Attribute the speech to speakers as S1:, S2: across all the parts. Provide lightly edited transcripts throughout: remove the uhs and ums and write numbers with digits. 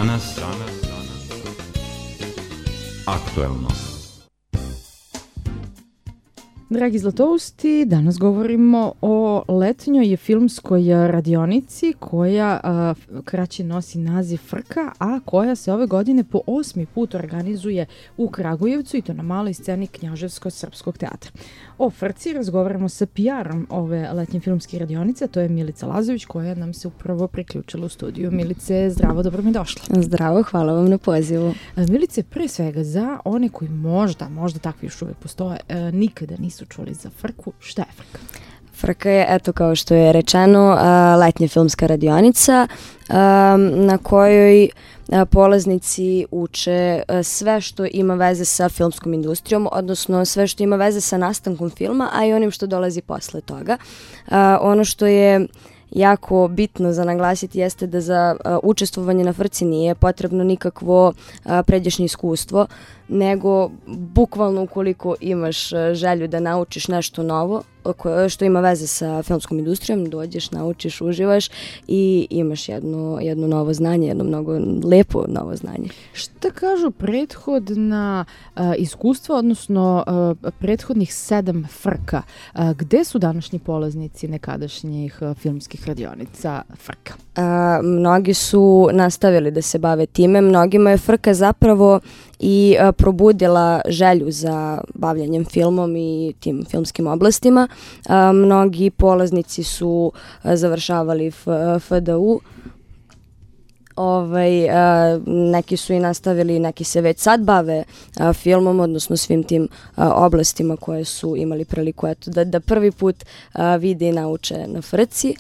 S1: Danas aktuelno.
S2: Dragi Zlatousti, danas govorimo o letnjoj filmskoj radionici koja kraće nosi naziv Frka, a koja se ove godine po 8. put organizuje u Kragujevcu i to na maloj sceni Knjaževsko-srpskog teatra. O Frci razgovaramo sa PR-om ove letnje filmske radionice, a to je Milica Lazović koja nam se upravo priključila u studiju. Milice, zdravo, dobro mi došla.
S3: Zdravo, hvala vam na pozivu.
S2: Milice, pre svega za one koji možda takvi još uvek postoje, nikada nisu čuli za Frku. Šta je Frka?
S3: Frka je, eto kao što je rečeno, letnja filmska radionica na kojoj polaznici uče sve što ima veze sa filmskom industrijom, odnosno sve što ima veze sa nastankom filma, a i onim što dolazi posle toga. Ono što je jako bitno za naglasiti jeste da za učestvovanje na Frci nije potrebno nikakvo pređašnje iskustvo, nego bukvalno ukoliko imaš želju da naučiš nešto novo što ima veze sa filmskom industrijom, dođeš, naučiš, uživaš i imaš jedno novo znanje, jedno mnogo lepo novo znanje.
S2: Šta kažu prethodna iskustva, odnosno prethodnih 7 Frka? Gde su današnji polaznici nekadašnjih filmskih radionica Frka?
S3: Mnogi su nastavili da se bave time, mnogima je Frka zapravo i probudila želju za bavljanjem filmom i tim filmskim oblastima. Mnogi polaznici su završavali FDU, neki su i nastavili, neki se već sad bave filmom, odnosno svim tim oblastima koje su imali priliku da prvi put vide i nauče na Frci.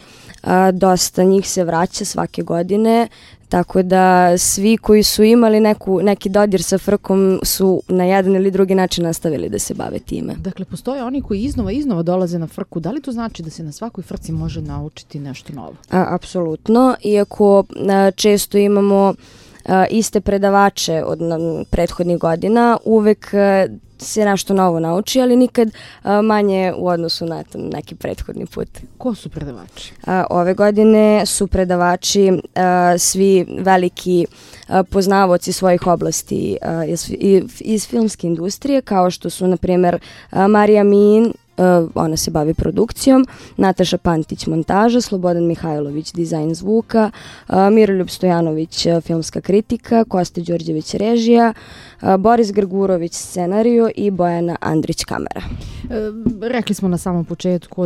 S3: Dosta njih se vraća svake godine, tako da svi koji su imali neki dodir sa Frkom su na jedan ili drugi način nastavili da se bave time.
S2: Dakle, postoje oni koji iznova dolaze na Frku. Da li to znači da se na svakoj Frci može naučiti nešto novo?
S3: Apsolutno, iako često imamo iste predavače od prethodnih godina, uvek se nešto novo nauči, ali nikad manje u odnosu na neki prethodni put.
S2: Ko su predavači?
S3: Ove godine su predavači svi veliki poznavaoci svojih oblasti iz filmske industrije, kao što su, na primjer, Marija Min, ona se bavi produkcijom, Nataša Pantić montaža, Slobodan Mihajlović dizajn zvuka, Miroljub Stojanović filmska kritika, Kosta Đorđević režija, Boris Grgurović scenarijo i Bojana Andrić kamera.
S2: Rekli smo na samom početku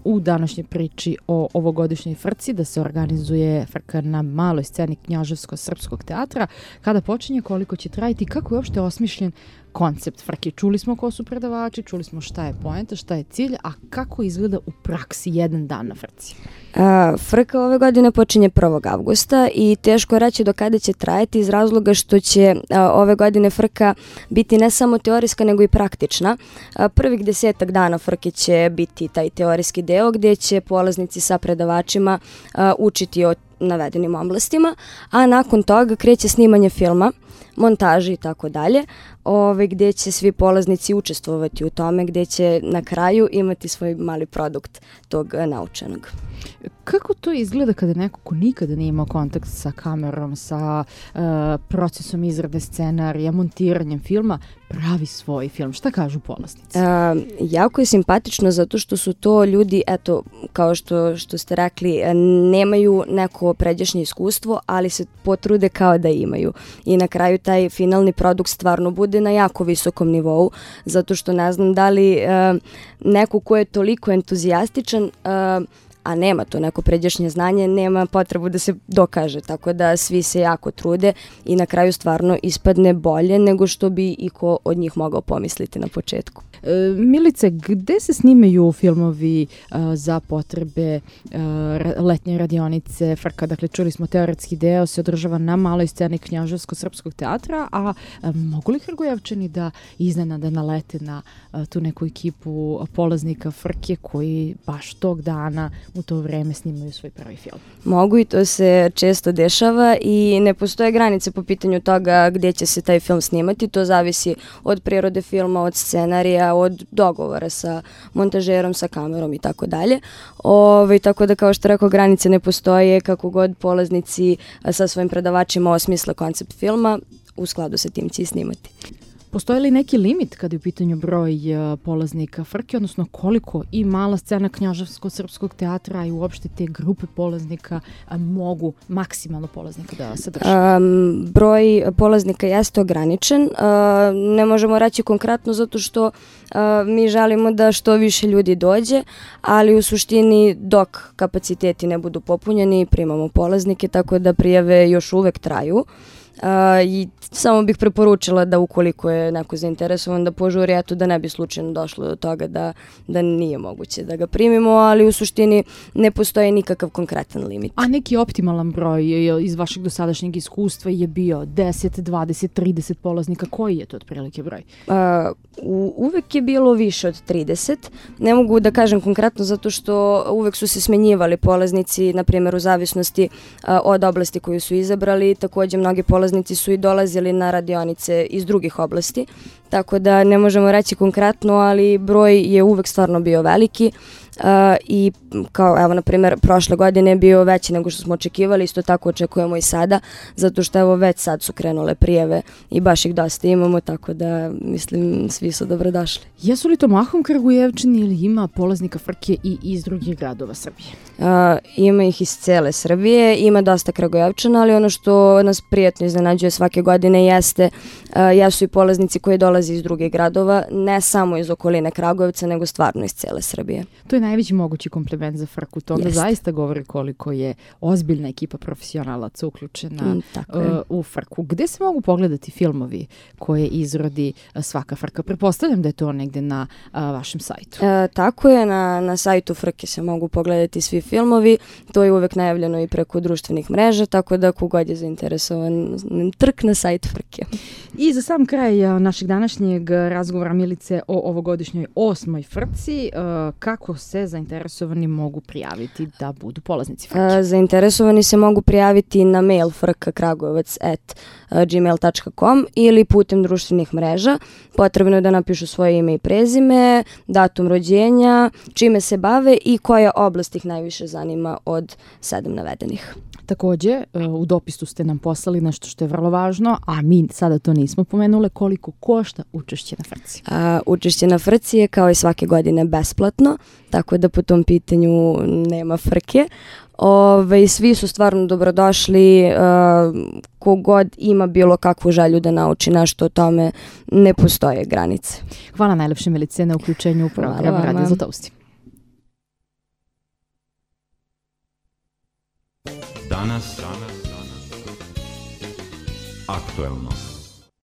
S2: u današnjoj priči o ovogodišnjoj Frci da se organizuje Frka na maloj sceni Knjaževsko-srpskog teatra. Kada počinje, koliko će trajati, kako je uopšte osmišljen koncept Frke? Čuli smo ko su predavači, čuli smo šta je poenta, šta je cilj, a kako izgleda u praksi jedan dan na Frci?
S3: Frka ove godine počinje 1. avgusta i teško je reći do kada će trajati iz razloga što će ove godine Frka biti ne samo teorijska nego i praktična. Prvih 10 dana Frke će biti taj teorijski deo gdje će polaznici sa predavačima učiti o navedenim oblastima, a nakon toga kreće snimanje filma, montaži i tako dalje, gdje će svi polaznici učestvovati u tome, gdje će na kraju imati svoj mali produkt tog naučenog.
S2: Kako to izgleda kada neko ko nikada nije imao kontakt sa kamerom, sa procesom izrade scenarija, montiranjem filma, pravi svoj film? Šta kažu polaznici?
S3: Jako je simpatično zato što su to ljudi, eto, kao što ste rekli, nemaju neko pređašnje iskustvo, ali se potrude kao da imaju. I na kraju taj finalni produkt stvarno bude na jako visokom nivou, zato što ne znam da li neko ko je toliko entuzijastičan, a nema to neko pređašnje znanje, nema potrebu da se dokaže, tako da svi se jako trude i na kraju stvarno ispadne bolje nego što bi i ko od njih mogao pomisliti na početku.
S2: Milice, gde se snimaju filmovi za potrebe letnje radionice Frka? Dakle, čuli smo teoretski deo se održava na maloj sceni Knjaževsko-srpskog teatra, a mogu li Kragujevčani da iznenada nalete na tu neku ekipu polaznika Frke koji baš tog dana u to vreme snimaju svoj prvi film.
S3: Mogu i to se često dešava i ne postoje granice po pitanju toga gdje će se taj film snimati. To zavisi od prirode filma, od scenarija, od dogovora sa montažerom, sa kamerom i tako dalje. Tako da, kao što rekao, granice ne postoje, kako god polaznici sa svojim predavačima osmisle koncept filma, u skladu sa tim će i snimati.
S2: Postoji li neki limit kada je u pitanju broj polaznika frke, odnosno koliko i mala scena Knjaževsko-srpskog teatra i uopšte te grupe polaznika mogu maksimalno polaznika da sadrže?
S3: Broj polaznika jeste ograničen. Ne možemo reći konkretno zato što mi želimo da što više ljudi dođe, ali u suštini dok kapaciteti ne budu popunjeni primamo polaznike, tako da prijave još uvek traju. I samo bih preporučila da ukoliko je neko zainteresovan da požuri, eto, da ne bi slučajno došlo do toga da nije moguće da ga primimo, ali u suštini ne postoji nikakav konkretan limit.
S2: A neki optimalan broj iz vašeg dosadašnjeg iskustva je bio 10, 20, 30 polaznika? Koji je to otprilike broj?
S3: Uvek je bilo više od 30. Ne mogu da kažem konkretno zato što uvek su se smenjivali polaznici, na primjer u zavisnosti od oblasti koju su izabrali. Također mnogi polaznici su i dolazili na radionice iz drugih oblasti, tako da ne možemo reći konkretno, ali broj je uvek stvarno bio veliki. I kao, evo, na primjer, prošle godine je bio veći nego što smo očekivali, isto tako očekujemo i sada, zato što evo već sad su krenule prijave i baš ih dosta imamo, tako da mislim svi su dobrodošli.
S2: Jesu li to mahom Kragujevčani ili ima polaznika frke i iz drugih gradova Srbije?
S3: Ima ih iz cele Srbije, ima dosta Kragujevčana, ali ono što nas prijatno iznenađuje svake godine jesu i polaznici koji dolaze iz drugih gradova, ne samo iz okoline Kragujevca, nego stvarno iz cele Srbije.
S2: To je najveći mogući kompliment za frku. To onda zaista govori koliko je ozbiljna ekipa profesionalaca uključena u frku. Gde se mogu pogledati filmovi koje izrodi svaka frka? Pretpostavljam da je to negde na vašem sajtu.
S3: Tako je, na sajtu frke se mogu pogledati svi filmovi. To je uvek najavljeno i preko društvenih mreža, tako da kogod je zainteresovan, trk na sajt frke.
S2: I za sam kraj našeg današnjeg razgovora, Milice, o ovogodišnjoj 8. frci, kako se zainteresovani mogu prijaviti da budu polaznici frke?
S3: Zainteresovani se mogu prijaviti na mail frkakragujevac@gmail.com ili putem društvenih mreža. Potrebno je da napišu svoje ime i prezime, datum rođenja, čime se bave i koja oblast ih najviše zanima od 7 navedenih.
S2: Također, u dopisu ste nam poslali nešto što je vrlo važno, a mi sada to nismo pomenule, koliko košta učešće na frci.
S3: Učešće na frci je kao i svake godine besplatno, tako da po tom pitanju nema frke. Svi su stvarno dobrodošli, kogod ima bilo kakvu želju da nauči nešto o tome, ne postoje granice.
S2: Hvala najlepše, Milice, na uključenju u program Radio Zlatousti.
S1: Danas aktuelno.